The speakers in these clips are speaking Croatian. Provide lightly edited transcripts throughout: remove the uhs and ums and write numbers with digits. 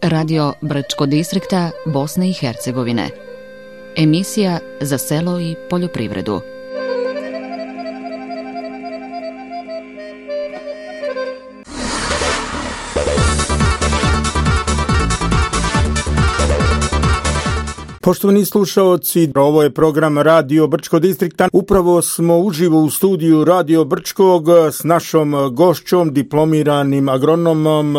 Radio Brčko distrikta Bosne i Hercegovine. Emisija za selo i poljoprivredu. Poštovani slušaoci, ovo je program Radio Brčko distrikta. Upravo smo uživo u studiju Radio Brčkog s našom gošćom, diplomiranim agronomom,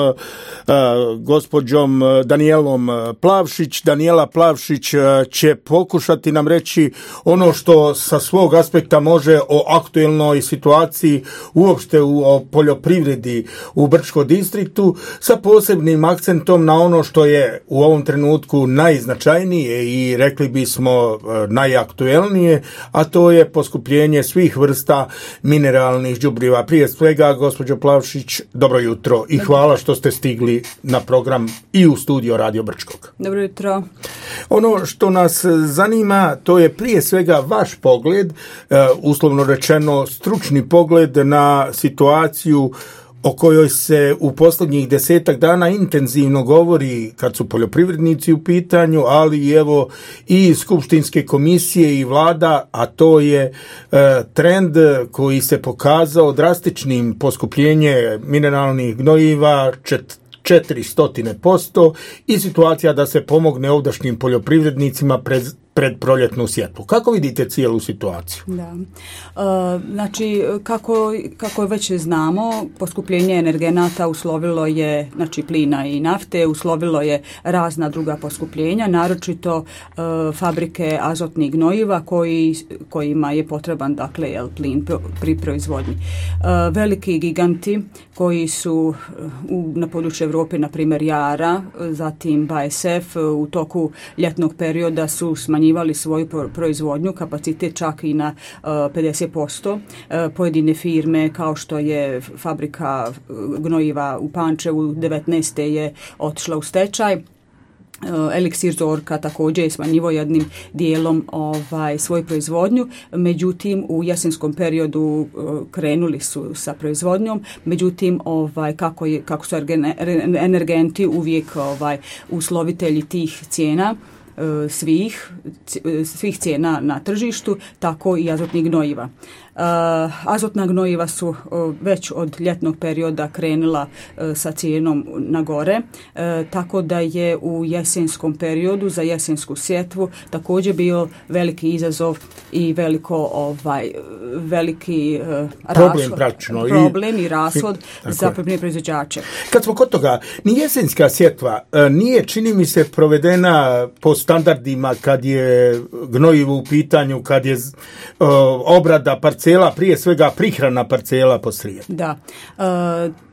gospođom Danijelom Plavšić. Daniela Plavšić će pokušati nam reći ono što sa svog aspekta može o aktuelnoj situaciji uopšte o poljoprivredi u Brčko distriktu, sa posebnim akcentom na ono što je u ovom trenutku najznačajnije i rekli bismo najaktuelnije, a to je poskupljenje svih vrsta mineralnih đubriva. Prije svega, gospođo Plavšić, dobro jutro i hvala što ste stigli na program i u studio Radio Brčkog. Dobro jutro. Ono što nas zanima, to je prije svega vaš pogled, uslovno rečeno stručni pogled na situaciju o kojoj se u posljednjih 10 dana intenzivno govori kad su poljoprivrednici u pitanju, ali evo i skupštinske komisije i vlada, a to je trend koji se pokazao drastičnim poskupljenje mineralnih gnojiva 400% i situacija da se pomogne ovdašnjim poljoprivrednicima pred proljetnu sjetvu. Kako vidite cijelu situaciju? Da. Znači, kako već znamo, poskupljenje energenata uslovilo je, znači plina i nafte, uslovilo je razna druga poskupljenja, naročito fabrike azotnih gnojiva kojima je potreban, dakle, plin pri proizvodnji. Veliki giganti koji su na području Europe, na primjer Jara, zatim BASF, u toku ljetnog perioda su smanjivali svoju proizvodnju, kapacitet čak i na 50%. Pojedine firme kao što je fabrika gnojiva u Pančevu 19. je otišla u stečaj. Eliksir Zorka također je smanjivo jednim dijelom svoju proizvodnju, međutim u jesenskom periodu krenuli su sa proizvodnjom, međutim kako su energenti uvijek uslovitelji tih cijena, svih cijena na tržištu, tako i azotnih gnojiva. Azotna gnojiva su već od ljetnog perioda krenula sa cijenom na gore, tako da je u jesenskom periodu za jesensku sjetvu također bio veliki izazov i veliki problem i rashod za poljoprivredne proizvođače. Kad smo kod toga, ni jesenska sjetva nije, čini mi se, provedena po standardima kad je gnojivo u pitanju, kad je obrada parcela, prije svega prihrana parcela posrijedi. Da,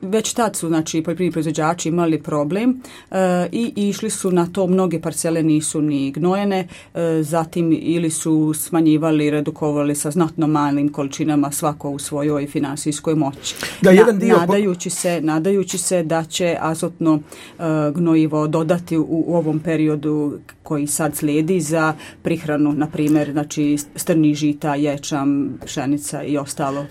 već tad su, znači, poljoprivredni proizvođači imali problem i išli su na to, mnoge parcele nisu ni gnojene, zatim ili su smanjivali, redukovali sa znatno malim količinama svako u svojoj finansijskoj moći. Da, nadajući se da će azotno gnojivo dodati u ovom periodu koji sad slijedi za prihranu, na primjer, znači strni žita, ječam, pšenica i ostalo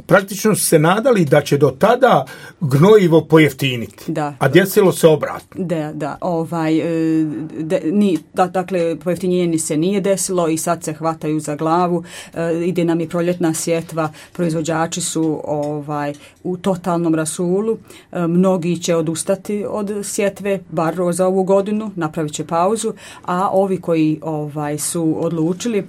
Praktično su se nadali da će do tada gnojivo pojeftiniti, a desilo se obratno. Dakle, pojeftinjenje se nije desilo i sad se hvataju za glavu, ide nam i proljetna sjetva, proizvođači su u totalnom rasulu, mnogi će odustati od sjetve, bar za ovu godinu, napravit će pauzu, a ovi koji su odlučili,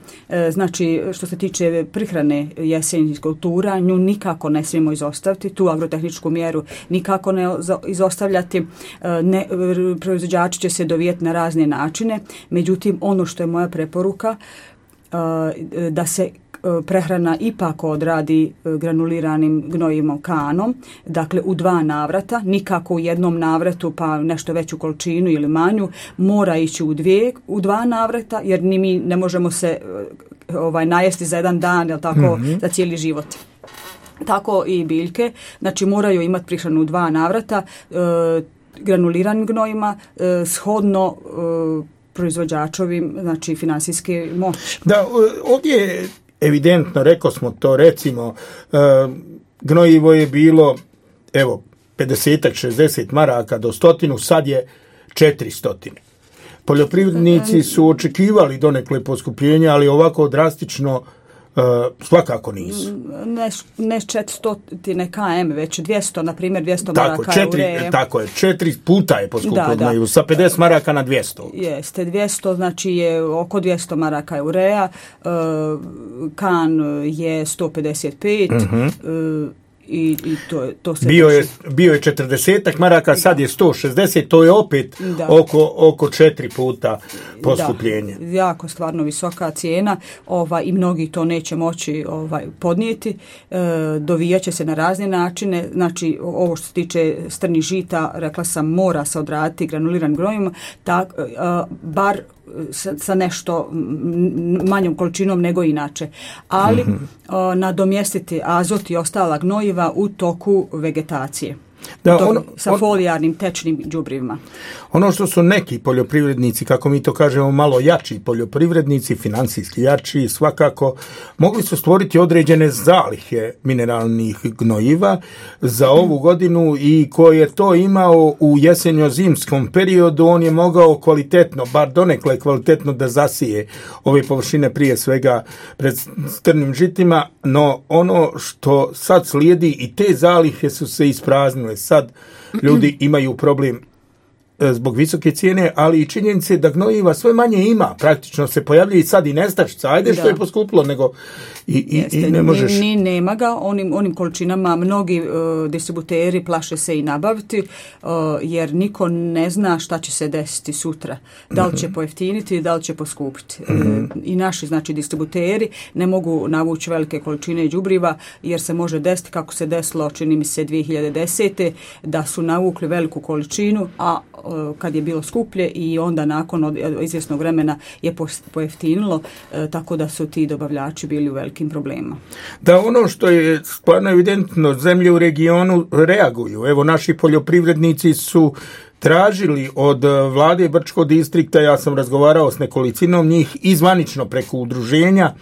znači što se tiče prihrane jesenjih kultura, nju nikako ne smijemo izostaviti, tu agrotehničku mjeru nikako ne izostavljati, proizvođači će se dovijeti na razne načine, međutim ono što je moja preporuka, da se prehrana ipak odradi granuliranim gnojivom kanom, dakle u 2 navrata, nikako u jednom navratu pa nešto veću količinu ili manju, mora ići u 2 navrata, jer ni mi ne možemo se najesti za jedan dan, jel tako, za cijeli život. Tako i biljke, znači moraju imati prihranu u 2 navrata, granuliranim gnojima, shodno proizvođačovim, znači finansijske moći. Da, ovdje je evidentno, rekao smo to, recimo, gnojivo je bilo, 50-60 maraka do 100, sad je 400. Poljoprivrednici su očekivali donekle poskupljenja, ali ovako drastično svakako nisu. Ne 400 km, već 200, na primjer 200 maraka ureje. Tako je, 4 puta je poskupilo, sa 50 maraka na 200. Jeste, 200, znači je oko 200 maraka ureja, kan je 155, i to se bio je 40 maraka, sad je 160, to je opet oko 4 puta poskupljenje. Da, jako stvarno visoka cijena, i mnogi to neće moći podnijeti. Dovijat će se na razne načine, znači ovo što se tiče strnih žita, rekla sam, mora se odraditi granuliranim gnojivima, bar sa nešto manjom količinom nego inače, ali nadomjestiti azot i ostala gnojiva u toku vegetacije. Sa folijarnim tečnim đubrivima. Ono što su neki poljoprivrednici, kako mi to kažemo, malo jači poljoprivrednici, financijski jači, svakako mogli su stvoriti određene zalihe mineralnih gnojiva za ovu godinu, i ko je to imao u jesenjo-zimskom periodu, on je mogao kvalitetno, bar donekle kvalitetno, da zasije ove površine, prije svega pred strnim žitima, no ono što sad slijedi, i te zalihe su se ispraznile. Sad ljudi imaju problem zbog visoke cijene, ali i činjenice da gnojiva sve manje ima. Praktično se pojavljuje i sad i nestašica. Ajde što je poskupilo, nego i ne možeš... Nema ga onim količinama. Mnogi distributeri plaše se i nabaviti, jer niko ne zna šta će se desiti sutra. Da li će pojeftiniti, da li će poskupiti. I naši, znači, distributeri ne mogu navući velike količine đubriva, jer se može desiti, kako se desilo, čini mi se 2010. da su navukli veliku količinu, a kad je bilo skuplje, i onda nakon izvjesnog vremena je pojeftinilo, tako da su ti dobavljači bili u velikim problemima. Da, ono što je stvarno evidentno, zemlje u regionu reaguju. Evo, naši poljoprivrednici su tražili od vlade Brčkog distrikta, ja sam razgovarao s nekolicinom njih, izvanično preko udruženja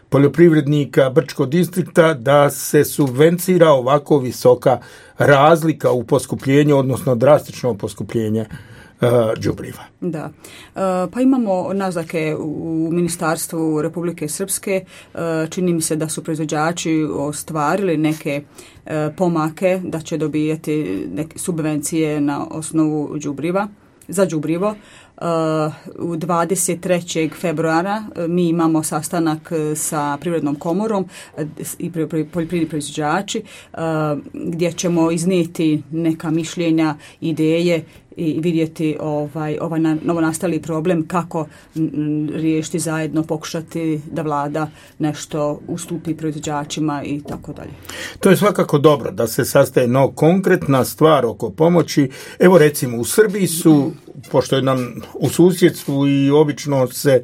poljoprivrednika Brčkog distrikta, da se subvencira ovako visoka razlika u poskupljenju, odnosno drastično poskupljenje đubriva. Da. Pa imamo naznake u Ministarstvu Republike Srpske. Čini mi se da su proizvođači ostvarili neke pomake, da će dobijati neke subvencije na osnovu đubriva, za đubrivo. U 23. februara mi imamo sastanak sa Privrednom komorom i poljoprivredni proizvođači, gdje ćemo iznijeti neka mišljenja, ideje i vidjeti ovaj novonastali problem, kako riješiti zajedno, pokušati da vlada nešto ustupi proizvođačima i tako dalje. To je svakako dobro da se sastaje, no konkretna stvar oko pomoći. Evo, recimo, u Srbiji su, pošto je nam u susjedstvu i obično se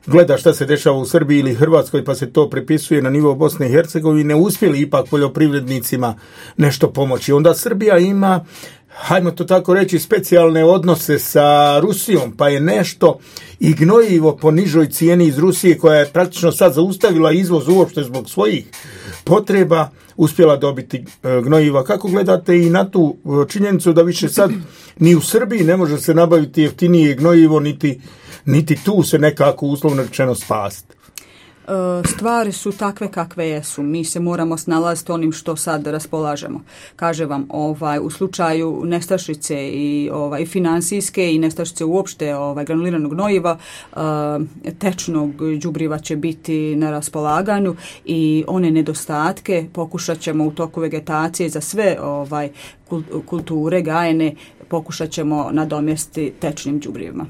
gleda šta se dešava u Srbiji ili Hrvatskoj, pa se to prepisuje na nivo Bosne i Hercegovine, uspjeli ipak poljoprivrednicima nešto pomoći. Onda Srbija ima, hajmo to tako reći, specijalne odnose sa Rusijom, pa je nešto i gnojivo po nižoj cijeni iz Rusije, koja je praktično sad zaustavila izvoz uopšte zbog svojih potreba, uspjela dobiti gnojiva. Kako gledate i na tu činjenicu da više sad ni u Srbiji ne može se nabaviti jeftinije gnojivo, niti tu se nekako uslovno rečeno spasti? Stvari su takve kakve jesu. Mi se moramo snalaziti onim što sad raspolažemo. Kaže vam, u slučaju nestašice i financijske i nestašice uopšte granuliranog gnojiva, tečnog đubriva će biti na raspolaganju, i one nedostatke pokušat ćemo u toku vegetacije za sve kulture gajene pokušat ćemo nadomjestiti tečnim đubrivima.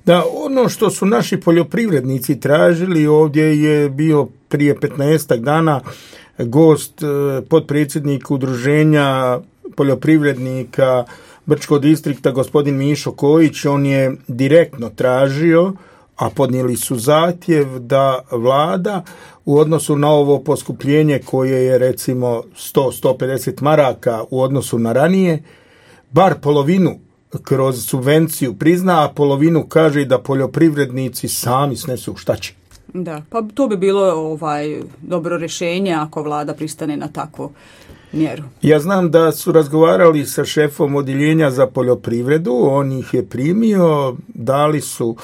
Da, ono što su naši poljoprivrednici tražili, ovdje je bio prije 15 dana gost, potpredsjednik udruženja poljoprivrednika Brčkog distrikta, gospodin Mišo Kojić. On je direktno tražio, a podnijeli su zahtjev, da vlada u odnosu na ovo poskupljenje koje je recimo 100-150 maraka u odnosu na ranije, bar polovinu kroz subvenciju prizna, a polovinu kaže da poljoprivrednici sami snesu šta će. Da, pa to bi bilo dobro rješenje ako vlada pristane na takvo mjeru. Ja znam da su razgovarali sa šefom odjeljenja za poljoprivredu, on ih je primio, dali su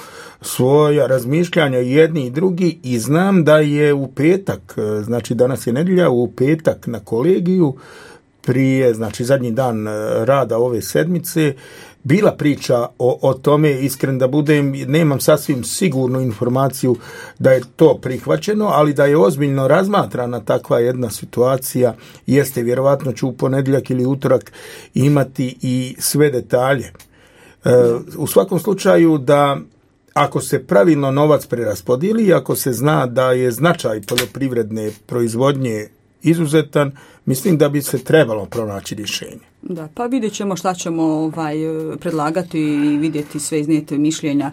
svoja razmišljanja jedni i drugi i znam da je u petak, znači danas je nedjelja, u petak na kolegiju prije, znači zadnji dan rada ove sedmice, bila priča o tome, iskren da budem, nemam sasvim sigurnu informaciju da je to prihvaćeno, ali da je ozbiljno razmatrana takva jedna situacija, jeste, vjerovatno ću u ponedjeljak ili utorak imati i sve detalje. U svakom slučaju da ako se pravilno novac preraspodijeli, ako se zna da je značaj poljoprivredne proizvodnje izuzetan, mislim da bi se trebalo pronaći rješenje. Da, pa vidjet ćemo šta ćemo predlagati i vidjeti sve iznijete mišljenja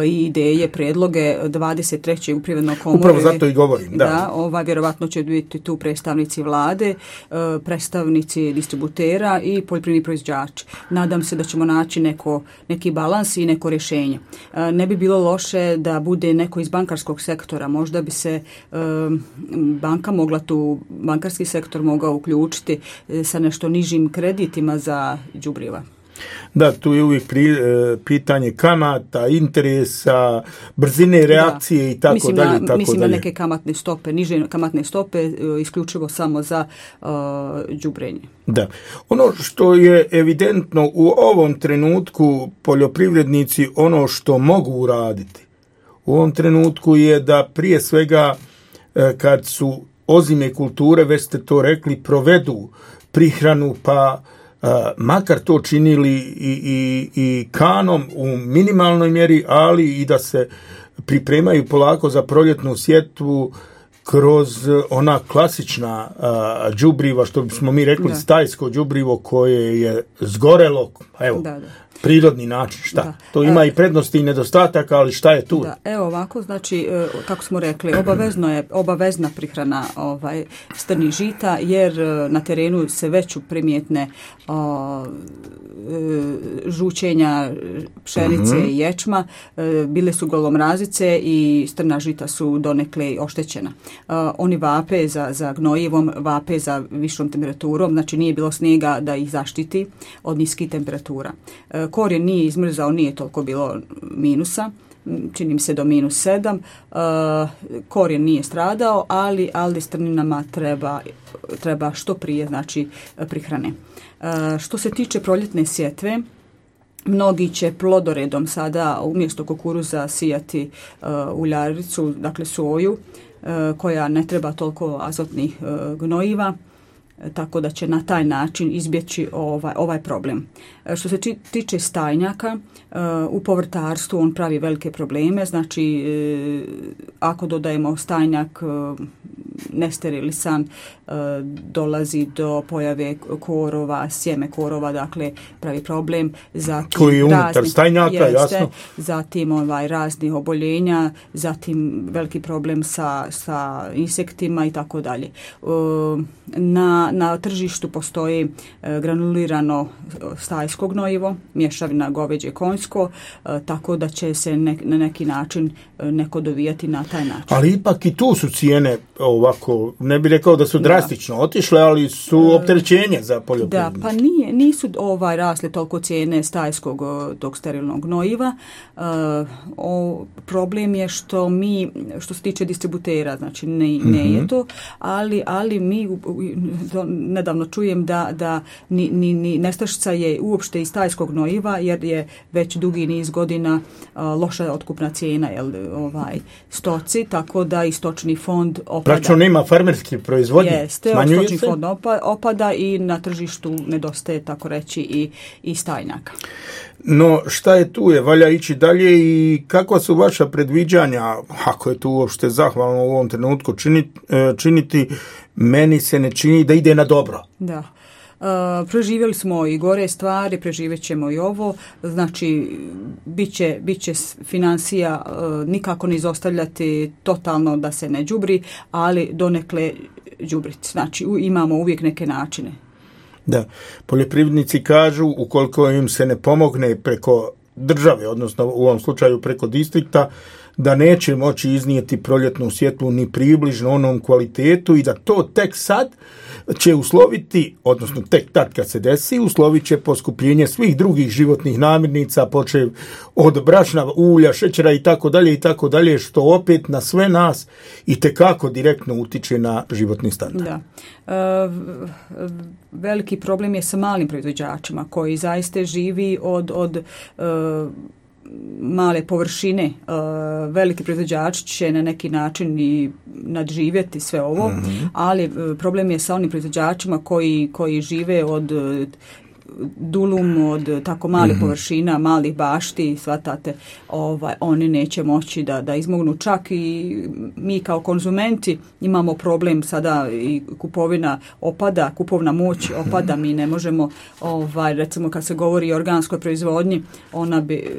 i ideje, predloge 23. u Privrednoj komori. Upravo zato i govorim. Da, vjerovatno će biti tu predstavnici vlade, predstavnici distributera i poljoprivredni proizvođači. Nadam se da ćemo naći neki balans i neko rješenje. Ne bi bilo loše da bude neko iz bankarskog sektora. Možda bi se bankarski sektor mogao uključiti sa nešto nižim kreditima za đubriva. Da, tu je uvijek pitanje kamata, interesa, brzine reakcije i tako dalje. Mislim na neke kamatne stope, niže kamatne stope, isključivo samo za đubrenje. Da. Ono što je evidentno u ovom trenutku poljoprivrednici, ono što mogu uraditi u ovom trenutku je da prije svega kad su ozime kulture, već ste to rekli, provedu prihranu, pa makar to činili i kanom u minimalnoj mjeri, ali i da se pripremaju polako za proljetnu sjetvu kroz ona klasična đubriva, što bismo mi rekli stajsko đubrivo koje je zgorelo, evo, prirodni način, šta? Da. To ima i prednosti i nedostataka, ali šta je tu? Da, evo ovako, znači, kako smo rekli, obavezna prihrana strnih žita, jer na terenu se već primjetne žučenja pšenice i ječma, bile su golomrazice i strna žita su donekle oštećena. Oni vape za gnojivom, vape za višom temperaturom, znači nije bilo snijega da ih zaštiti od niskih temperatura. Korijen nije izmrzao, nije toliko bilo minusa, čini mi se do -7, korijen nije stradao, ali strninama treba što prije, znači, prihrane. Što se tiče proljetne sjetve, mnogi će plodoredom sada umjesto kukuruza sijati uljaricu, dakle soju, koja ne treba toliko azotnih gnojiva, tako da će na taj način izbjeći ovaj problem. Što se tiče stajnjaka, u povrtarstvu on pravi velike probleme, znači ako dodajemo stajnjak nesterilisan, dolazi do pojave korova, sjeme korova, dakle pravi problem. Zatim koji je unutar stajnjaka, jasno. Zatim raznih oboljenja, zatim veliki problem sa insektima i tako dalje. Na tržištu postoji granulirano stajsko gnojivo, mješavina goveđe konjsko, tako da će se na neki način neko dovijati na taj način. Ali ipak i tu su cijene ovako, ne bih rekao da su drastično otišle, ali su opterećenje za poljoprivrednike. Da, pa nisu rasle toliko cijene stajskog tog sterilnog gnojiva. Problem je što se tiče distributera, znači ne je to, ali mi nedavno čujem da ni nestašica je uopšte iz stajskog gnojiva, jer je već dugi niz godina loša otkupna cijena stoci, tako da i stočni fond opada. Znači nema farmerske proizvodnje? Jeste, stočni fond opada i na tržištu nedostaje, tako reći, i stajnjaka. No, šta je tu? Valja ići dalje i kakva su vaša predviđanja, ako je tu uopšte zahvalno u ovom trenutku činiti, meni se ne čini da ide na dobro. Da. Preživjeli smo i gore stvari, preživjet ćemo i ovo, znači bit će financija nikako ne izostavljati totalno da se ne đubri, ali donekle đubriti, znači imamo uvijek neke načine. Da, poljoprivrednici kažu ukoliko im se ne pomogne preko države, odnosno u ovom slučaju preko distrikta, da neće moći iznijeti proljetnu sjetvu ni približno onom kvalitetu i da to tek sad će usloviti, odnosno tek tad kad se desi, uslovit će poskupljenje svih drugih životnih namirnica, počev od brašna, ulja, šećera i tako dalje, što opet na sve nas itekako direktno utiče na životni standard. Da. Veliki problem je sa malim proizvođačima koji zaista živi od male površine. Veliki proizvođač će na neki način i nadživjeti sve ovo, ali problem je sa onim proizvođačima koji žive od dulum, od tako malih površina, malih bašti, shvatate, oni neće moći da izmognu. Čak i mi kao konzumenti imamo problem sada i kupovina opada, kupovna moć opada, mi ne možemo, recimo kad se govori o organskoj proizvodnji, ona bi,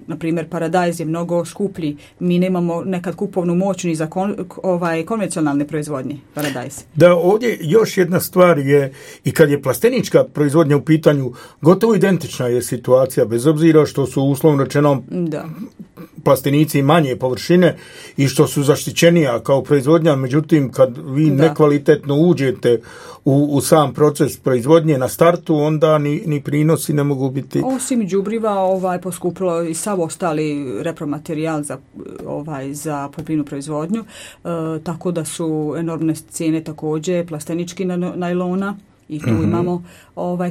na primjer, paradajz je mnogo skuplji, mi nemamo nekad kupovnu moć ni za konvencionalne proizvodnje, paradajz. Da, ovdje još jedna stvar je, i kad je plastenička proizvodnja u pitanju, gotovo identična je situacija, bez obzira što su uslovno rečeno plastenici manje površine i što su zaštićenija kao proizvodnja, međutim kad vi nekvalitetno uđete u sam proces proizvodnje na startu, onda ni prinosi ne mogu biti. Osim đubriva poskupilo i sav ostali repromaterijal za poljoprivrednu proizvodnju, tako da su enormne cijene također plastenički najlona. I tu imamo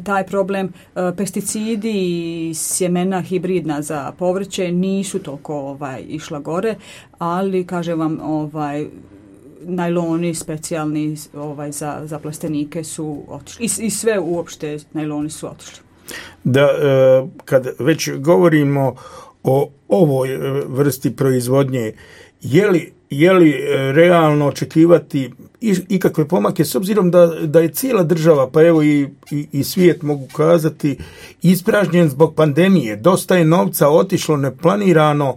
taj problem. Pesticidi i sjemena hibridna za povrće nisu toliko išla gore, ali kažem vam najloni specijalni za plastenike su otišli. I sve uopšte najloni su otišli. Da, kad već govorimo o ovoj vrsti proizvodnje, je li realno očekivati ikakve pomake, s obzirom da je cijela država, pa evo i svijet mogu kazati, ispražnjen zbog pandemije. Dosta je novca otišlo neplanirano,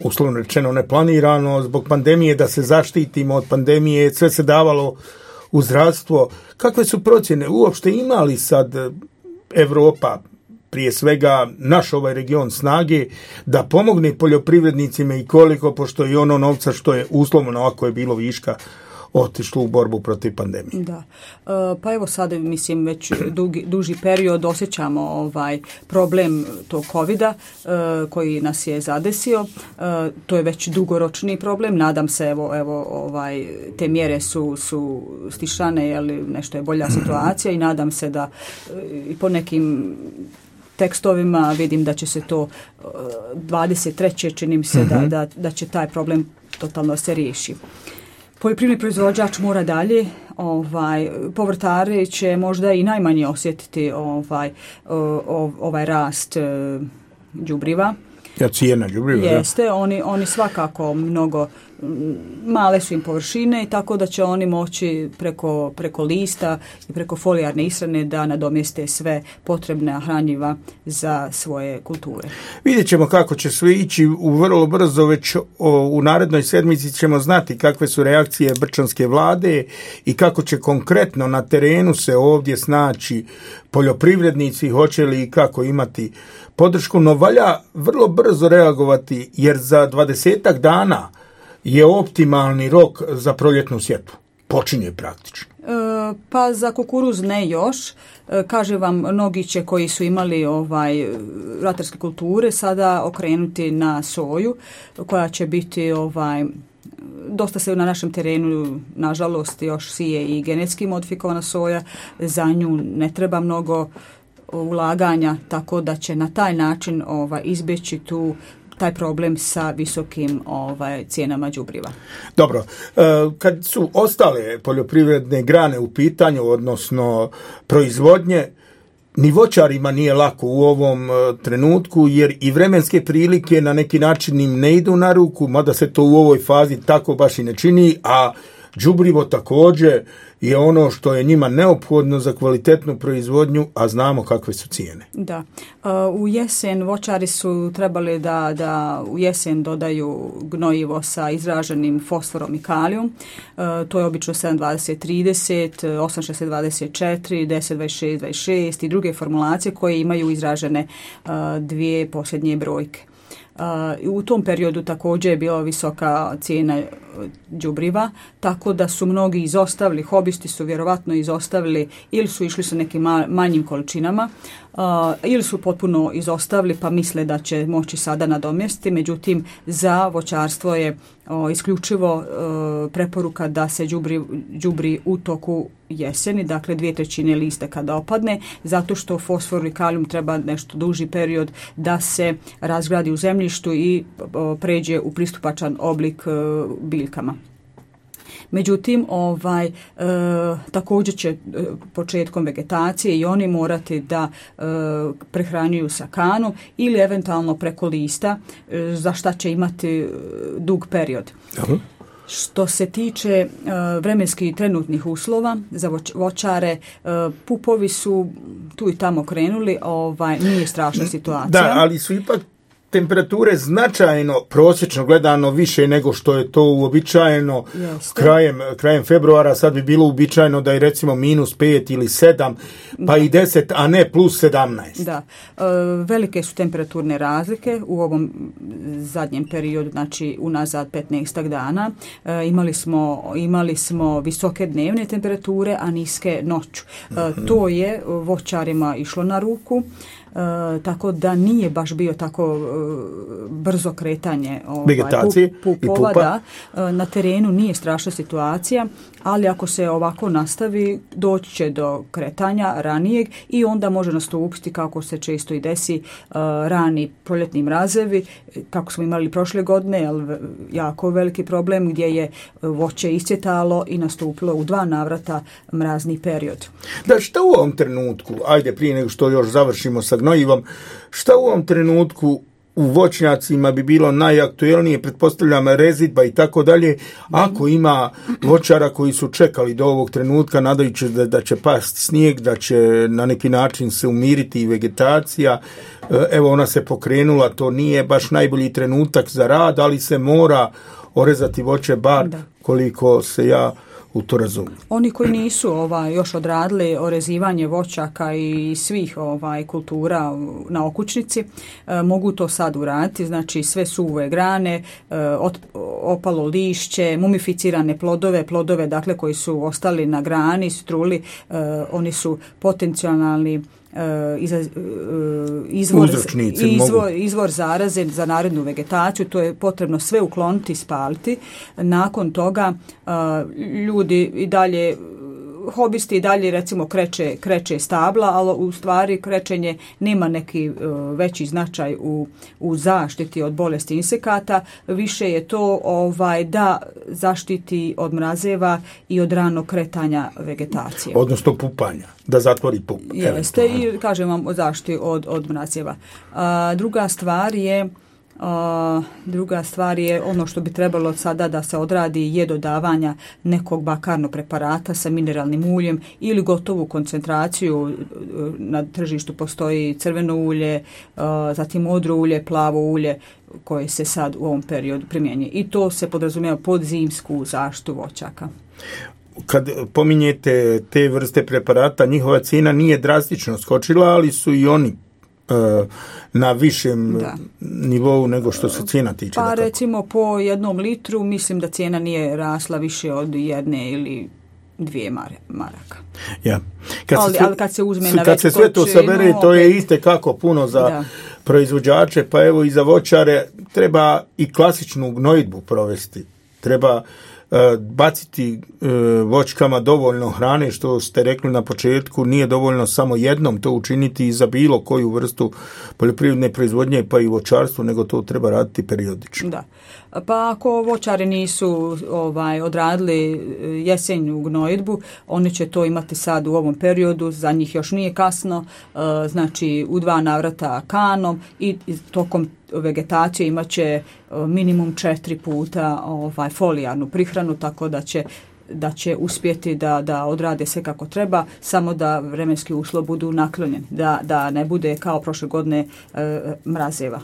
uslovno rečeno neplanirano, zbog pandemije, da se zaštitimo od pandemije, sve se davalo u zdravstvo. Kakve su procjene? Uopšte imali sad Europa, prije svega naš ovaj region, snage da pomogne poljoprivrednicima i koliko, pošto i ono novca što je uslovno, ako je bilo viška, otišlo u borbu protiv pandemije? Da. Pa evo sad, mislim, već duži period osjećamo problem tog covida koji nas je zadesio. To je već dugoročni problem. Nadam se, evo te mjere su stišane, jer nešto je bolja situacija i nadam se da i po nekim tekstovima vidim da će se to 23. čini mi se da će taj problem totalno se riješi. Poljoprivredni proizvođač mora dalje, povrtari će možda i najmanje osjetiti ovaj rast đubriva. Cijena đubriva. Jeste, oni svakako mnogo male su im površine i tako da će oni moći preko lista i preko folijarne ishrane da nadomjeste sve potrebna hranjiva za svoje kulture. Vidjet ćemo kako će sve ići vrlo brzo, već u narednoj sedmici ćemo znati kakve su reakcije brčanske vlade i kako će konkretno na terenu se ovdje snaći poljoprivrednici, hoće li i kako imati podršku, no valja vrlo brzo reagovati jer za 20 dana je optimalni rok za proljetnu sjetvu. Počinje praktično. Pa za kukuruz ne još. Kaže vam, mnogi će koji su imali ratarske kulture sada okrenuti na soju koja će biti dosta se na našem terenu nažalost još sije i genetski modifikovana soja. Za nju ne treba mnogo ulaganja, tako da će na taj način izbjeći taj problem sa visokim cijenama đubriva. Dobro, kad su ostale poljoprivredne grane u pitanju, odnosno proizvodnje, ni voćarima nije lako u ovom trenutku, jer i vremenske prilike na neki način im ne idu na ruku, mada se to u ovoj fazi tako baš i ne čini, a đubrivo također je ono što je njima neophodno za kvalitetnu proizvodnju, a znamo kakve su cijene. Da. U jesen voćari su trebali da u jesen dodaju gnojivo sa izraženim fosforom i kalijum. To je obično 7-20-30, 8-60-24, 10-26-26 i druge formulacije koje imaju izražene dvije posljednje brojke. U tom periodu također je bila visoka cijena đubriva, tako da su mnogi izostavili, hobisti su vjerovatno izostavili ili su išli sa nekim manjim količinama ili su potpuno izostavili pa misle da će moći sada nadomjestiti. Međutim, za voćarstvo je isključivo preporuka da se đubri u toku jeseni, dakle 2/3 lista kada opadne, zato što fosfor i kalijum treba nešto duži period da se razgradi u zemljištu i pređe u pristupačan oblik biljkama. Međutim, također će početkom vegetacije i oni morati da prehranjuju sa kanom ili eventualno preko lista, za šta će imati dug period. Aha. Što se tiče vremenskih trenutnih uslova za voćare, pupovi su tu i tamo krenuli, nije strašna situacija. Da, ali su ipak temperature značajno, prosječno gledano, više nego što je to uobičajeno krajem februara. Sad bi bilo uobičajeno da je recimo -5 ili 7, pa i 10, a ne +17. Da, velike su temperaturne razlike u ovom zadnjem periodu, znači unazad 15 dana. Imali smo visoke dnevne temperature, a niske noću. To je voćarima išlo na ruku. Tako da nije baš bio tako brzo kretanje pupova. Da, na terenu nije strašna situacija, ali ako se ovako nastavi doći će do kretanja ranijeg i onda može nastupiti, kako se često i desi, rani proljetni mrazevi, kako smo imali prošle godine, ali jako veliki problem gdje je voće iscjetalo i nastupilo u 2 navrata mrazni period. Da, šta u ovom trenutku, ajde prije nego što još završimo sa gnojivom, šta u ovom trenutku u voćnjacima bi bilo najaktuelnije, pretpostavljam rezidba i tako dalje, ako ima voćara koji su čekali do ovog trenutka nadajući da će pasti snijeg, da će na neki način se umiriti i vegetacija. Evo, ona se pokrenula, to nije baš najbolji trenutak za rad, ali se mora orezati voće bar koliko se ja u to razumijem. Oni koji nisu još odradili orezivanje voćaka i svih kultura na okućnici, mogu to sad uraditi, znači sve suve grane, opalo lišće, mumificirane plodove dakle koji su ostali na grani, struli, oni su potencijalni izvor zaraze za narednu vegetaciju. To je potrebno sve ukloniti i spaliti. Nakon toga ljudi i dalje, hobisti i dalje recimo kreće stabla, ali u stvari krečenje nema neki veći značaj u zaštiti od bolesti insekata. Više je to da zaštiti od mrazeva i od ranog kretanja vegetacije. Odnosno pupanja, da zatvori pup. Jeste, i kažem vam o zaštiti od mrazeva. Druga stvar je ono što bi trebalo sada da se odradi je dodavanja nekog bakarnog preparata sa mineralnim uljem ili gotovu koncentraciju. Na tržištu postoji crveno ulje, zatim modro ulje, plavo ulje koje se sad u ovom periodu primjenjuje. I to se podrazumijeva pod zimsku zaštitu voćaka. Kad pominjete te vrste preparata, njihova cijena nije drastično skočila, ali su i oni na višem nivou nego što se cijena tiče. Pa recimo po 1 litru mislim da cijena nije rasla više od 1 ili 2 maraka. Ja. Ali kad se uzme na kad se sve to sabere, to je itekako puno za proizvođače, pa evo i za voćare treba i klasičnu gnojidbu provesti. Treba baciti voćkama dovoljno hrane, što ste rekli na početku, nije dovoljno samo jednom to učiniti i za bilo koju vrstu poljoprivredne proizvodnje, pa i voćarstvo, nego to treba raditi periodično. Da. Pa ako voćari nisu odradili jesenju gnojidbu, oni će to imati sad u ovom periodu, za njih još nije kasno, znači u 2 navrata kanom i tokom vegetacije imat će minimum 4 puta folijarnu prihranu, tako da će uspjeti da odrade sve kako treba, samo da vremenski uslovi budu naklonjeni, da ne bude kao prošle godine mrazeva.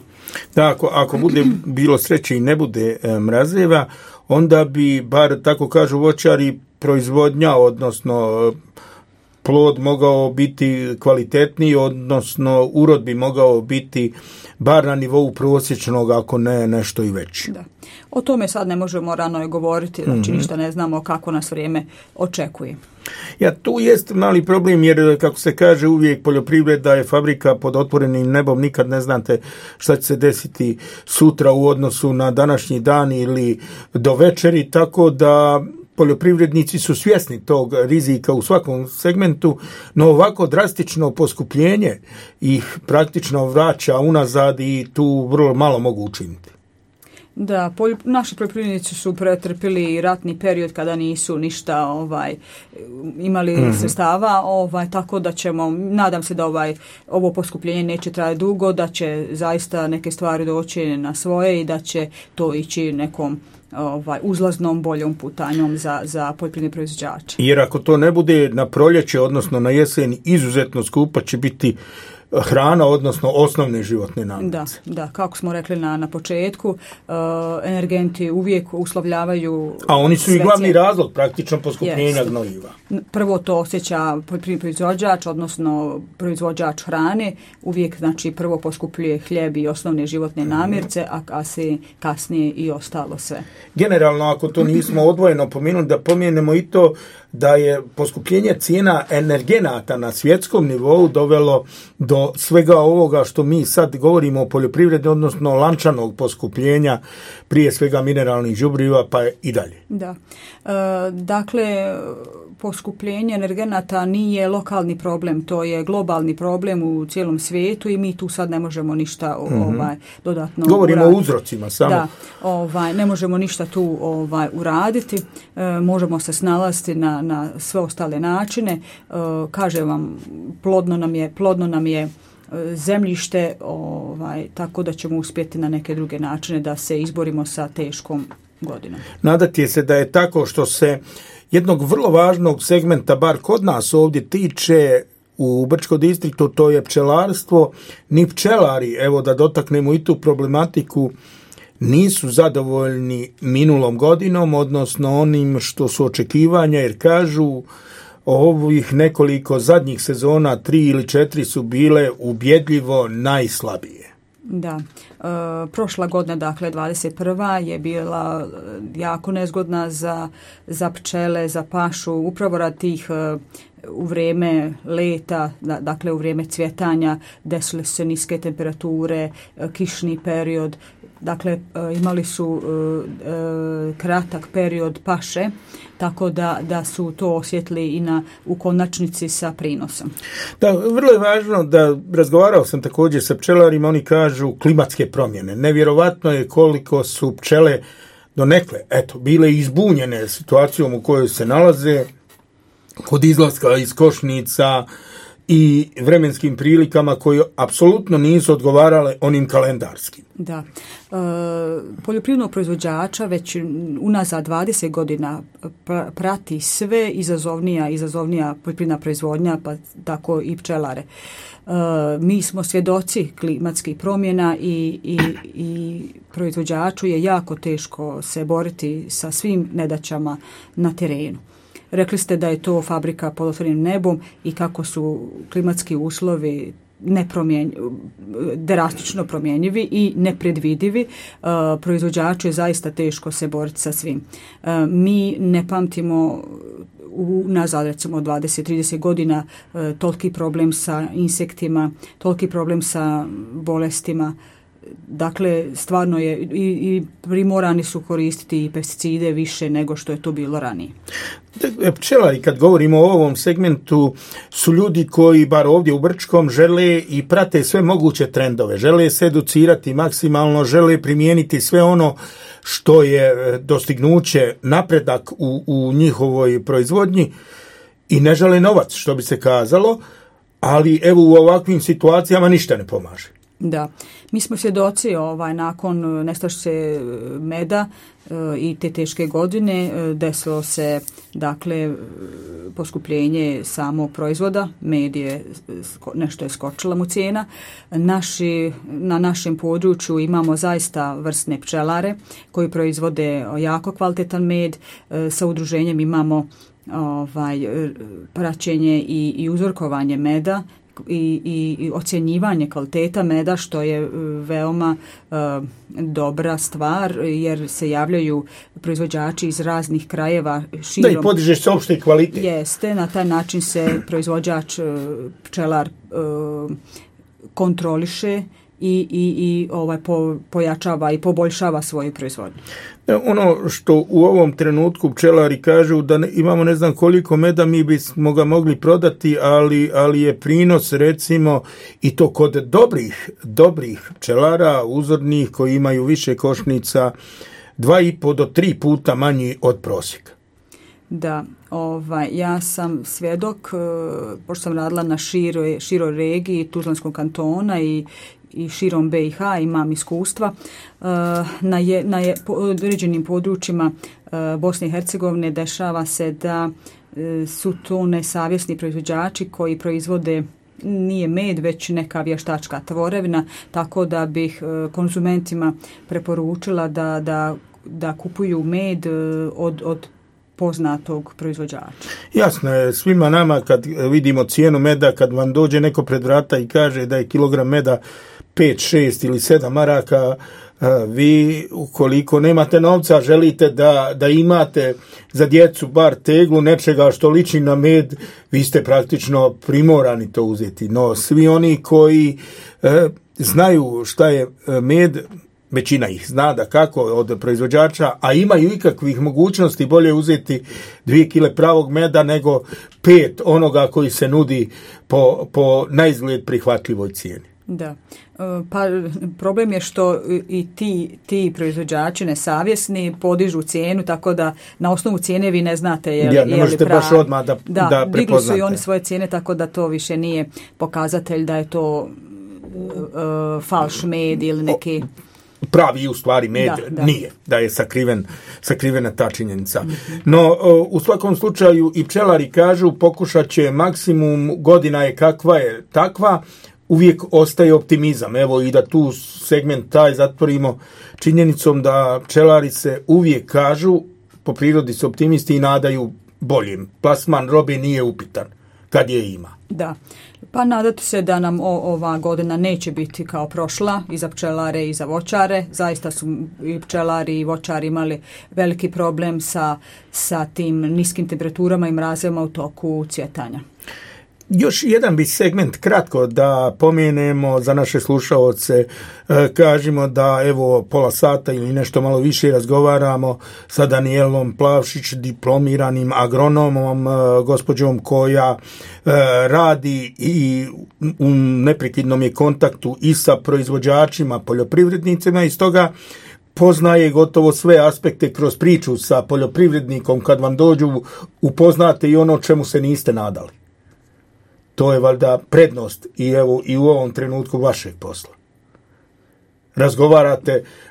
Da, ako bude bilo sreće i ne bude mrazeva, onda bi, bar tako kažu voćari, proizvodnja, odnosno plod mogao biti kvalitetniji, odnosno urod bi mogao biti bar na nivou prosječnog, ako ne nešto i veći. Da. O tome sad ne možemo rano govoriti, znači ništa ne znamo kako nas vrijeme očekuje. Ja, tu jest mali problem jer, kako se kaže, uvijek poljoprivreda je fabrika pod otvorenim nebom, nikad ne znate šta će se desiti sutra u odnosu na današnji dan ili do večeri, tako da poljoprivrednici su svjesni tog rizika u svakom segmentu, no ovako drastično poskupljenje ih praktično vraća unazad i tu vrlo malo mogu učiniti. Da, naši poljoprivrednici su pretrpili ratni period kada nisu ništa imali sredstava, tako da ćemo, nadam se da ovo poskupljenje neće trajati dugo, da će zaista neke stvari doći na svoje i da će to ići nekom uzlaznom boljom putanjom za poljoprivredne proizvođače. Jer ako to ne bude na proljeće, odnosno na jesen, izuzetno skupa će biti hrana, odnosno osnovne životne namirnice. Da, kako smo rekli na početku, energenti uvijek uslovljavaju. A oni su i glavni razlog praktično poskupljenja gnojiva. Prvo to osjeća poljoprivredni proizvođač, odnosno proizvođač hrane, uvijek znači prvo poskupljuje hljeb i osnovne životne namirnice, a kasnije i ostalo sve. Generalno, ako to nismo odvojeno pomenuli, da pomenemo i to da je poskupljenje cijena energenata na svjetskom nivou dovelo do svega ovoga što mi sad govorimo o poljoprivredi, odnosno lančanog poskupljenja, prije svega mineralnih đubriva pa i dalje. Da. Dakle, poskupljenje energenata nije lokalni problem, to je globalni problem u cijelom svijetu i mi tu sad ne možemo ništa dodatno govorimo o uzrocima samo. Da, ne možemo ništa tu uraditi, možemo se snalaziti na sve ostale načine. Kažem vam, plodno nam je zemljište, tako da ćemo uspjeti na neke druge načine da se izborimo sa teškom godinom. Nadati se da je tako, što se jednog vrlo važnog segmenta, bar kod nas ovdje, tiče u Brčkom distriktu, to je pčelarstvo. Ni pčelari, evo da dotaknemo i tu problematiku, nisu zadovoljni minulom godinom, odnosno onim što su očekivanja, jer kažu ovih nekoliko zadnjih sezona, 3 ili 4 su bile ubjedljivo najslabije. Da, prošla godina, dakle 21. je bila jako nezgodna za pčele, za pašu, upravo radi tih u vrijeme leta, dakle u vrijeme cvjetanja, desile su se niske temperature, kišni period, dakle imali su kratak period paše, tako da su to osjetili i u konačnici sa prinosom. Da, vrlo je važno da razgovarao sam također sa pčelarima, oni kažu klimatske promjene. Nevjerovatno je koliko su pčele donekle, bile izbunjene situacijom u kojoj se nalaze, kod izlaska iz košnica i vremenskim prilikama koje apsolutno nisu odgovarale onim kalendarskim. Da. Poljoprivrednog proizvođača već unazad 20 godina prati sve izazovnija poljoprivredna proizvodnja, pa tako i pčelare. Mi smo svjedoci klimatskih promjena i proizvođaču je jako teško se boriti sa svim nedaćama na terenu. Rekli ste da je to fabrika pod otvorenim nebom i kako su klimatski uslovi drastično promjenjivi i nepredvidivi. Proizvođaču je zaista teško se boriti sa svim. Mi ne pamtimo nazad recimo 20-30 godina toliki problem sa insektima, toliki problem sa bolestima. Dakle, stvarno je i primorani su koristiti i pesticide više nego što je to bilo ranije. Pčelari, kad govorimo o ovom segmentu, su ljudi koji, bar ovdje u Brčkom, žele i prate sve moguće trendove, žele se educirati maksimalno, žele primijeniti sve ono što je dostignuće, napredak u njihovoj proizvodnji i ne žele novac, što bi se kazalo, ali evo u ovakvim situacijama ništa ne pomaže. Da, mi smo svjedoci nakon nestašice meda i te teške godine desilo se dakle poskupljenje samog proizvoda, med je nešto je skočila mu cijena. Na našem području imamo zaista vrsne pčelare koji proizvode jako kvalitetan med, sa udruženjem imamo praćenje i uzorkovanje meda i ocjenjivanje kvaliteta meda, što je veoma dobra stvar, jer se javljaju proizvođači iz raznih krajeva širom. Da, i podižeš se opšti kvalitet. Jeste, na taj način se proizvođač, pčelar kontroliše i pojačava i poboljšava svoju proizvodnju. Ono što u ovom trenutku pčelari kažu da imamo ne znam koliko meda, mi bismo ga mogli prodati, ali je prinos recimo i to kod dobrih pčelara, uzornih koji imaju više košnica, 2,5 do 3 puta manji od prosjeka. Da, ja sam svjedok, pošto sam radila na široj regiji Tuzlanskog kantona i širom BiH, imam iskustva na određenim područjima Bosne i Hercegovine. Dešava se da su to nesavjesni proizvođači koji proizvode nije med, već neka vještačka tvorevina, tako da bih konzumentima preporučila da kupuju med od poznatog proizvođača. Jasno je svima nama kad vidimo cijenu meda, kad vam dođe neko pred vrata i kaže da je kilogram meda 5, 6 ili 7 maraka, vi ukoliko nemate novca, želite da imate za djecu bar teglu nečega što liči na med, vi ste praktično primorani to uzeti. No svi oni koji znaju šta je med, većina ih zna da kako od proizvođača, a imaju ikakvih mogućnosti, bolje uzeti 2 kile pravog meda nego 5 onoga koji se nudi po naizgled prihvatljivoj cijeni. Da. Pa problem je što i ti proizvođači nesavjesni podižu cijenu, tako da na osnovu cijene vi ne znate je li pravi. Ne možete baš odmah da prepoznate. Digli su i oni svoje cijene, tako da to više nije pokazatelj da je to falš med ili neki pravi u stvari med nije, da je sakrivena ta činjenica. No, u svakom slučaju i pčelari kažu pokušat će maksimum, godina je kakva je takva, uvijek ostaje optimizam. Evo i da tu segment taj zatvorimo činjenicom da pčelari se uvijek kažu, po prirodi su optimisti i nadaju boljim. Plasman robe nije upitan kad je ima. Da. Pa nadati se da nam ova godina neće biti kao prošla i za pčelare i za voćare. Zaista su i pčelari i voćari imali veliki problem sa tim niskim temperaturama i mrazevima u toku cvjetanja. Još jedan bi segment kratko da pomenemo za naše slušaoce, kažemo da evo pola sata ili nešto malo više razgovaramo sa Danijelom Plavšić, diplomiranim agronomom, gospođom koja radi i u neprekidnom je kontaktu i sa proizvođačima, poljoprivrednicima i stoga poznaje gotovo sve aspekte kroz priču sa poljoprivrednikom. Kad vam dođu upoznate i ono čemu se niste nadali. To je valjda prednost i u ovom trenutku vašeg posla.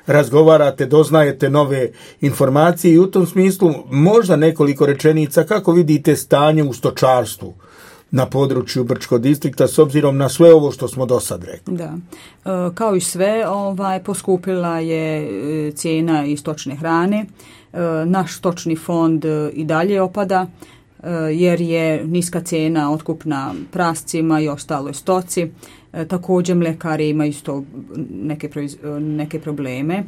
Razgovarate, doznajete nove informacije i u tom smislu možda nekoliko rečenica kako vidite stanje u stočarstvu na području Brčkog distrikta s obzirom na sve ovo što smo do sad rekli. Da. Kao i sve, poskupila je cijena i stočne hrane. Naš stočni fond i dalje opada, jer je niska cijena otkupna prascima i ostaloj stoci. Također mljekari imaju isto neke probleme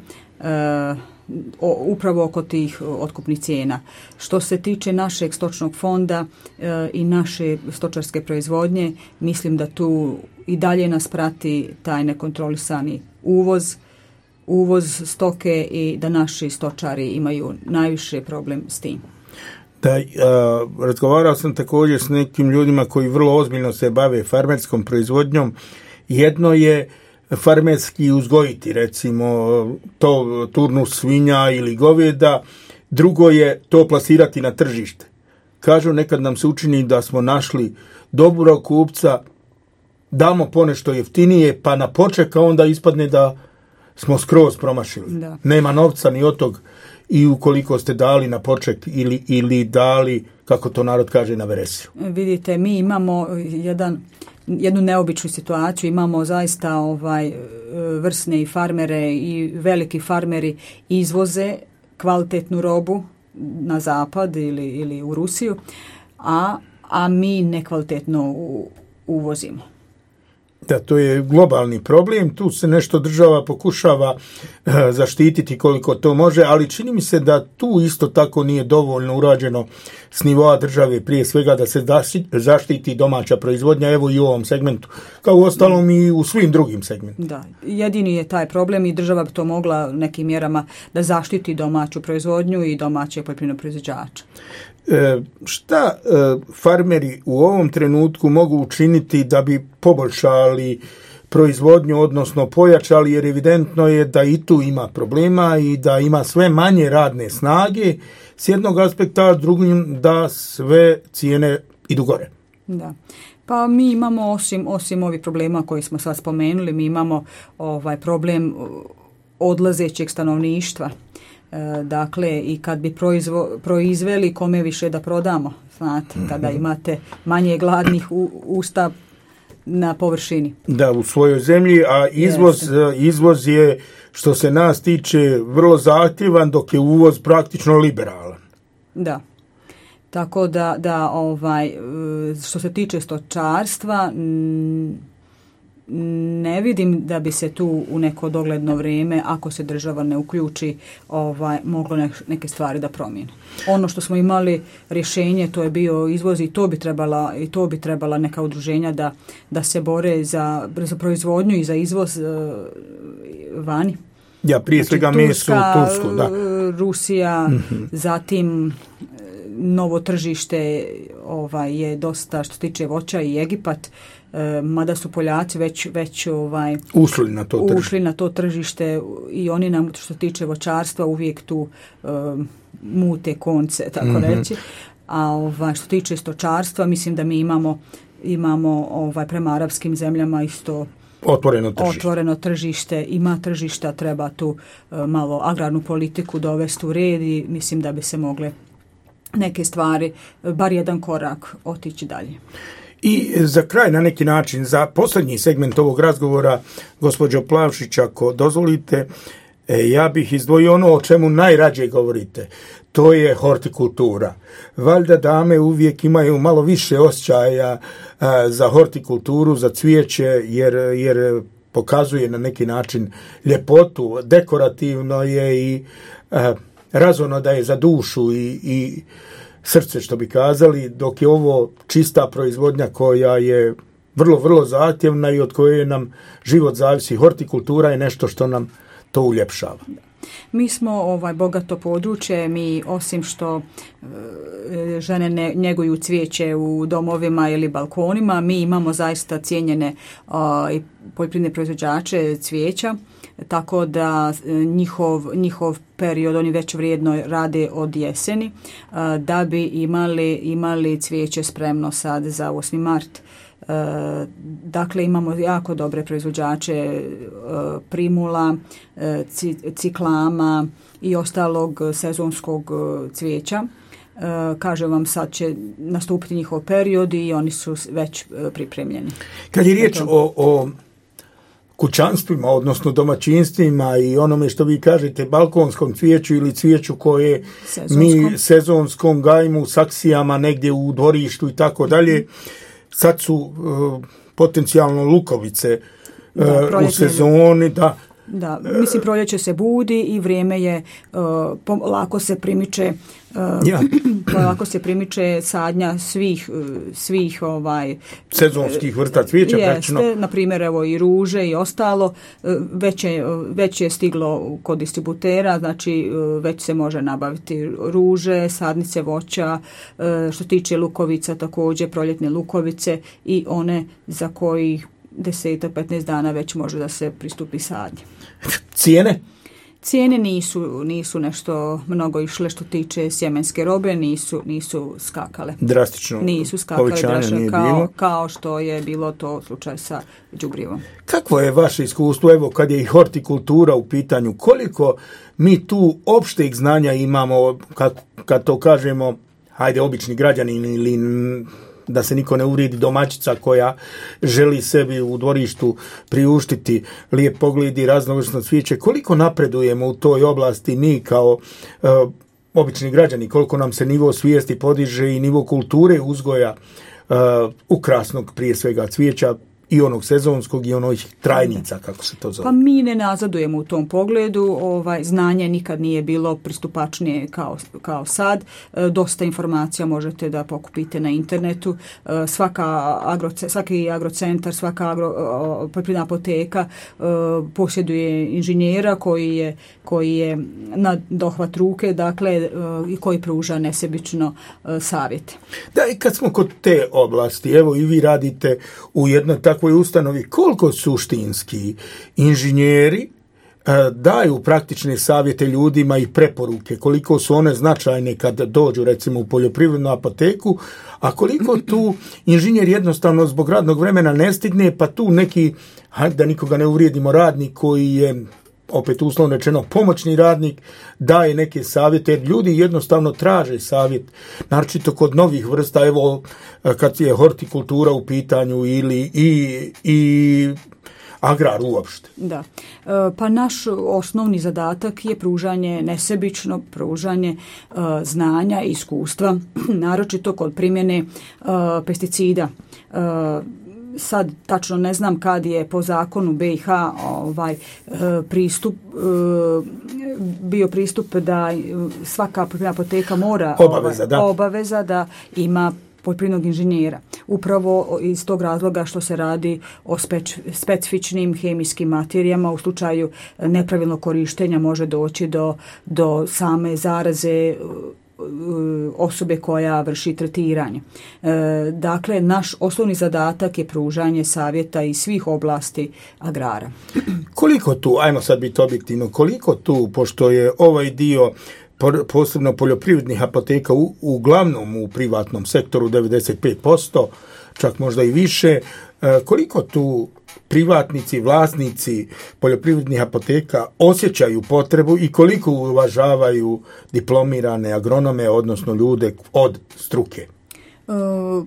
upravo oko tih otkupnih cijena. Što se tiče našeg stočnog fonda i naše stočarske proizvodnje, mislim da tu i dalje nas prati taj nekontrolisani uvoz stoke i da naši stočari imaju najviše problem s tim. Da, razgovarao sam također s nekim ljudima koji vrlo ozbiljno se bave farmerskom proizvodnjom. Jedno je farmerski uzgojiti, recimo to turnus svinja ili goveda, drugo je to plasirati na tržište. Kažu, nekad nam se učini da smo našli dobrog kupca, damo ponešto jeftinije, pa na počeka onda ispadne da smo skroz promašili. Da. Nema novca ni od tog i ukoliko ste dali na poček ili dali, kako to narod kaže, na veresiju. Vidite, mi imamo jednu neobičnu situaciju, imamo zaista vrsne i farmere i veliki farmeri izvoze kvalitetnu robu na zapad ili u Rusiju, a mi nekvalitetno uvozimo. Da, to je globalni problem, tu se nešto država pokušava zaštititi koliko to može, ali čini mi se da tu isto tako nije dovoljno urađeno s nivoa države, prije svega da se zaštiti domaća proizvodnja, evo i u ovom segmentu, kao u ostalom i u svim drugim segmentima. Da, jedini je taj problem i država bi to mogla nekim mjerama da zaštiti domaću proizvodnju i domaće poljoprivredne proizvođače. Šta farmeri u ovom trenutku mogu učiniti da bi poboljšali proizvodnju, odnosno pojačali, jer evidentno je da i tu ima problema i da ima sve manje radne snage s jednog aspekta, a drugim da sve cijene idu gore. Da. Pa mi imamo osim ovih problema koje smo sad spomenuli, mi imamo problem odlazećeg stanovništva. Dakle, i kad bi proizveli, kome više da prodamo, znate, kada imate manje gladnih usta na površini. Da, u svojoj zemlji, a izvoz je, što se nas tiče, vrlo zahtjevan, dok je uvoz praktično liberalan. Da. Tako da što se tiče stočarstva, ne vidim da bi se tu u neko dogledno vrijeme, ako se država ne uključi, moglo neke stvari da promijene. Ono što smo imali rješenje, to je bio izvoz i to bi trebala neka udruženja da se bore za proizvodnju i za izvoz vani. Ja, prije svega meso u Tursku, da. Rusija, zatim novo tržište je dosta što se tiče voća i Egipat, mada su Poljaci već ušli na to tržište i oni nam što se tiče voćarstva uvijek tu mute konce, tako reći. A što se tiče stočarstva, mislim da mi imamo prema arapskim zemljama isto otvoreno tržište, ima tržišta, treba tu malo agrarnu politiku dovesti u red i mislim da bi se mogle neke stvari, bar jedan korak otići dalje. I za kraj, na neki način, za posljednji segment ovog razgovora, gospođo Plavšić, ako dozvolite, ja bih izdvojio ono o čemu najrađe govorite. To je hortikultura. Valjda dame uvijek imaju malo više osjećaja za hortikulturu, za cvijeće, jer pokazuje na neki način ljepotu, dekorativno je i razumno da je za dušu i srce, što bi kazali, dok je ovo čista proizvodnja koja je vrlo, vrlo zahtjevna i od koje nam život zavisi. Hortikultura je nešto što nam to uljepšava. Mi smo bogato područje, mi osim što žene njeguju cvijeće u domovima ili balkonima, mi imamo zaista cijenjene poljoprivredne proizvođače cvijeća, tako da njihov period, oni već vrijedno rade od jeseni, da bi imali cvijeće spremno sad za 8. mart. Dakle, imamo jako dobre proizvođače primula, ciklama i ostalog sezonskog cvijeća. Kažem vam, sad će nastupiti njihov period i oni su već pripremljeni. Kad je riječ o kućanstvima, odnosno domaćinstvima i onome što vi kažete, balkonskom cvijeću ili cvijeću koje mi sezonskom gajimo u saksijama negdje u dvorištu i tako dalje, sad su potencijalno lukovice u sezoni, da. Da, mislim, proljeće se budi i vrijeme je, lako se primiče sadnja svih sezonskih vrsta cvijeća. Jeste, na primjer, evo i ruže i ostalo, već je stiglo kod distributera, znači već se može nabaviti ruže, sadnice voća, što tiče lukovica također, proljetne lukovice i one za koji 10-15 dana već može da se pristupi sadnji. Cijene? Cijene nisu nešto mnogo išle što tiče sjemenske robe, nisu skakale. Drastično. Nisu skakale drastično kao što je bilo to slučaj sa đubrivom. Kakvo je vaše iskustvo, evo kad je i hortikultura u pitanju, koliko mi tu opšteg znanja imamo, kad to kažemo, hajde, obični građanin ili da se niko ne uvrijedi, domaćica koja želi sebi u dvorištu priuštiti lijep pogled i raznovrsno cvijeće, koliko napredujemo u toj oblasti mi kao obični građani, koliko nam se nivo svijesti podiže i nivo kulture uzgoja ukrasnog prije svega cvijeća i onog sezonskog i onih trajnica, kako se to zove. Pa mi ne nazadujemo u tom pogledu, znanje nikad nije bilo pristupačnije kao sad. Dosta informacija možete da pokupite na internetu. Svaki agrocentar, svaka poljoprivredna apoteka posjeduje inženjera koji je na dohvat ruke, dakle, i koji pruža nesebično savjete. Da, i kad smo kod te oblasti, evo i vi radite u jednoj takvoj ustanovi, koliko suštinski inženjeri daju praktične savjete ljudima i preporuke, koliko su one značajne kad dođu recimo u poljoprivrednu apoteku, a koliko tu inženjer jednostavno zbog radnog vremena ne stigne, pa tu neki, hajde da nikoga ne uvrijedimo, radnik koji je opet uslovno rečeno pomoćni radnik daje neke savjete, jer ljudi jednostavno traže savjet, naročito kod novih vrsta, evo kad je hortikultura u pitanju ili i agrar uopšte. Da. Pa naš osnovni zadatak je pružanje, nesebično pružanje znanja i iskustva, naročito kod primjene pesticida. Sad tačno ne znam kad je po zakonu BiH bio pristup da svaka poljoprivredna apoteka mora obaveza da ima poljoprivrednog inženjera. Upravo iz tog razloga što se radi o specifičnim hemijskim materijama, u slučaju nepravilnog korištenja može doći do same zaraze osobe koja vrši tretiranje. Dakle, naš osnovni zadatak je pružanje savjeta iz svih oblasti agrara. Koliko tu, ajmo sad biti objektivno, koliko tu, pošto je ovaj dio posebno poljoprivrednih apoteka uglavnom u privatnom sektoru 95%, čak možda i više, koliko tu privatnici, vlasnici poljoprivrednih apoteka osjećaju potrebu i koliko uvažavaju diplomirane agronome, odnosno ljude od struke?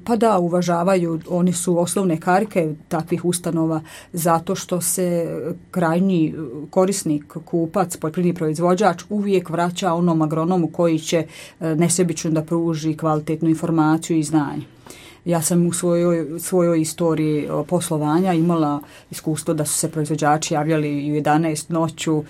Pa da, uvažavaju, oni su osnovne karike takvih ustanova zato što se krajnji korisnik, kupac, poljoprivredni proizvođač uvijek vraća onom agronomu koji će nesebično da pruži kvalitetnu informaciju i znanje. Ja sam u svojoj istoriji poslovanja imala iskustvo da su se proizvođači javljali u 11 noću,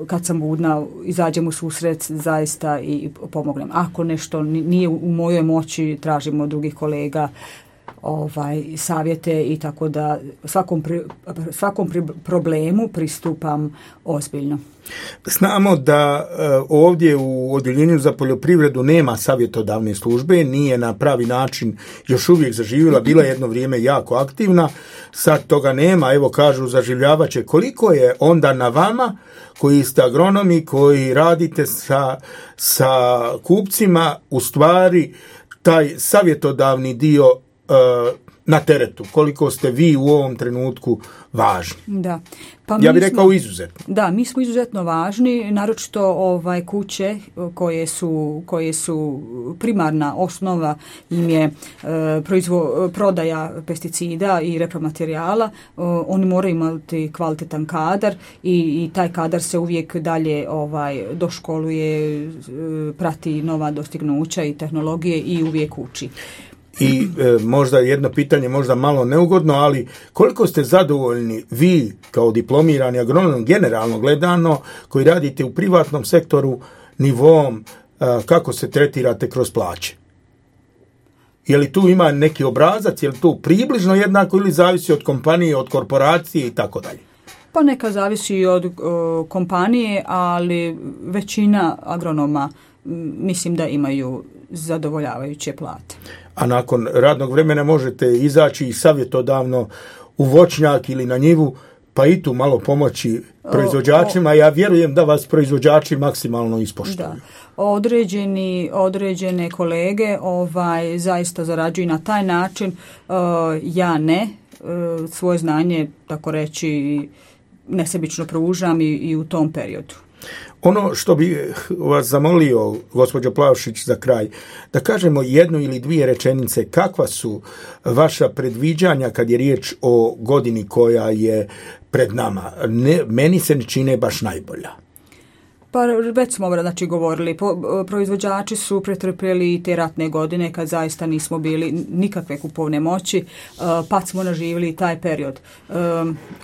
kad sam budna, izađem u susret zaista i pomognem. Ako nešto nije u mojoj moći, tražimo od drugih kolega savjete i tako da svakom problemu pristupam ozbiljno. Znamo da ovdje u Odjeljenju za poljoprivredu nema savjetodavne službe, nije na pravi način još uvijek zaživjela, bila jedno vrijeme jako aktivna, sad toga nema, evo kažu zaživljavat će. Koliko je onda na vama koji ste agronomi, koji radite sa kupcima, u stvari taj savjetodavni dio na teretu, koliko ste vi u ovom trenutku važni? Da. Pa ja bih rekao izuzetno. Da, mi smo izuzetno važni, naročito kuće koje su primarna osnova im je prodaja pesticida i repromaterijala. Oni moraju imati kvalitetan kadar i taj kadar se uvijek dalje doškoluje, prati nova dostignuća i tehnologije i uvijek uči. I možda jedno pitanje, možda malo neugodno, ali koliko ste zadovoljni vi kao diplomirani agronom generalno gledano koji radite u privatnom sektoru nivom kako se tretirate kroz plaće? Je li tu ima neki obrazac, je li tu približno jednako ili zavisi od kompanije, od korporacije i tako dalje? Pa neka zavisi i od kompanije, ali većina agronoma mislim da imaju zadovoljavajuće plate. A nakon radnog vremena možete izaći i savjetodavno u voćnjak ili na njivu, pa i tu malo pomoći proizvođačima. Ja vjerujem da vas proizvođači maksimalno ispoštuju. Da. Određene kolege zaista zarađuju na taj način. Ja ne. Svoje znanje, tako reći, nesebično pružam i u tom periodu. Ono što bi vas zamolio, gospođo Plavšić, za kraj, da kažemo jednu ili dvije rečenice, kakva su vaša predviđanja kad je riječ o godini koja je pred nama? Meni se ne čine baš najbolja. Pa već smo govorili, proizvođači su pretrpjeli te ratne godine kad zaista nismo bili nikakve kupovne moći, pa smo naživjeli taj period.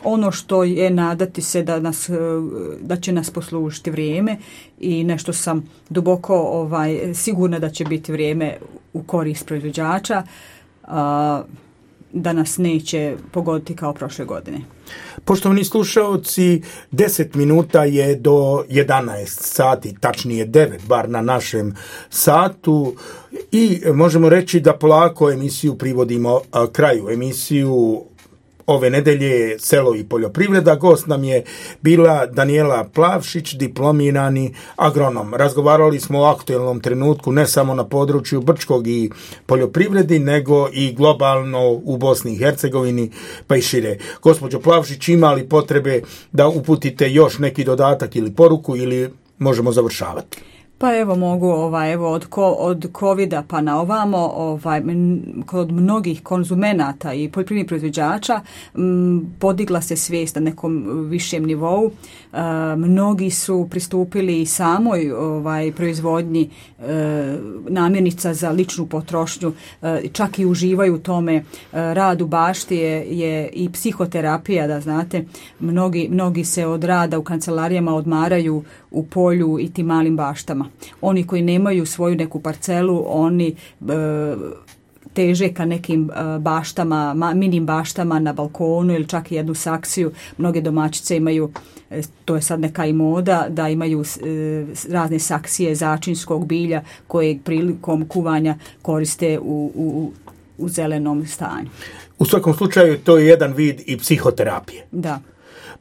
Ono što je nadati se da će nas poslužiti vrijeme i nešto sam duboko sigurna da će biti vrijeme u korist proizvođača, da nas neće pogoditi kao prošle godine. Poštovani slušalci, 10 minuta je do 11 sati, tačnije 9, bar na našem satu, i možemo reći da polako emisiju privodimo kraju. Emisiju ove nedelje Selo i poljoprivreda. Gost nam je bila Danijela Plavšić, diplomirani agronom. Razgovarali smo o aktuelnom trenutku ne samo na području Brčkog i poljoprivredi, nego i globalno u Bosni i Hercegovini, pa i šire. Gospođo Plavšić, ima li potrebe da uputite još neki dodatak ili poruku, ili možemo završavati? Pa evo mogu, od covida pa na ovamo, kod mnogih konzumenata i poljoprivrednih proizvođača podigla se svijest na nekom višem nivou. Mnogi su pristupili i samoj proizvodnji namirnica za ličnu potrošnju, čak i uživaju u tome. Rad u bašti je i psihoterapija, da znate, mnogi se od rada u kancelarijama odmaraju u polju i tim malim baštama. Oni koji nemaju svoju neku parcelu, oni teže ka nekim baštama, minim baštama na balkonu ili čak i jednu saksiju. Mnoge domaćice imaju, to je sad neka i moda, da imaju razne saksije začinskog bilja koje prilikom kuvanja koriste u zelenom stanju. U svakom slučaju to je jedan vid i psihoterapije. Da.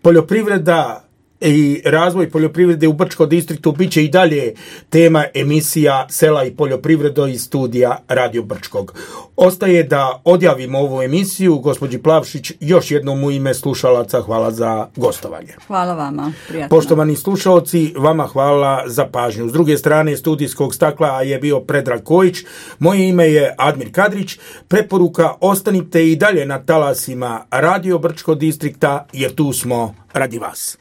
Poljoprivreda i razvoj poljoprivrede u Brčkom distriktu bit će i dalje tema emisija Sela i poljoprivredo iz studija Radio Brčkog. Ostaje da odjavimo ovu emisiju. Gospođi Plavšić, još jednom u ime slušalaca hvala za gostovanje. Hvala vama. Prijatno. Poštovani slušalci, vama hvala za pažnju. S druge strane studijskog stakla je bio Predrag Kojić. Moje ime je Admir Kadrić. Preporuka, ostanite i dalje na talasima Radio Brčkog distrikta, jer tu smo radi vas.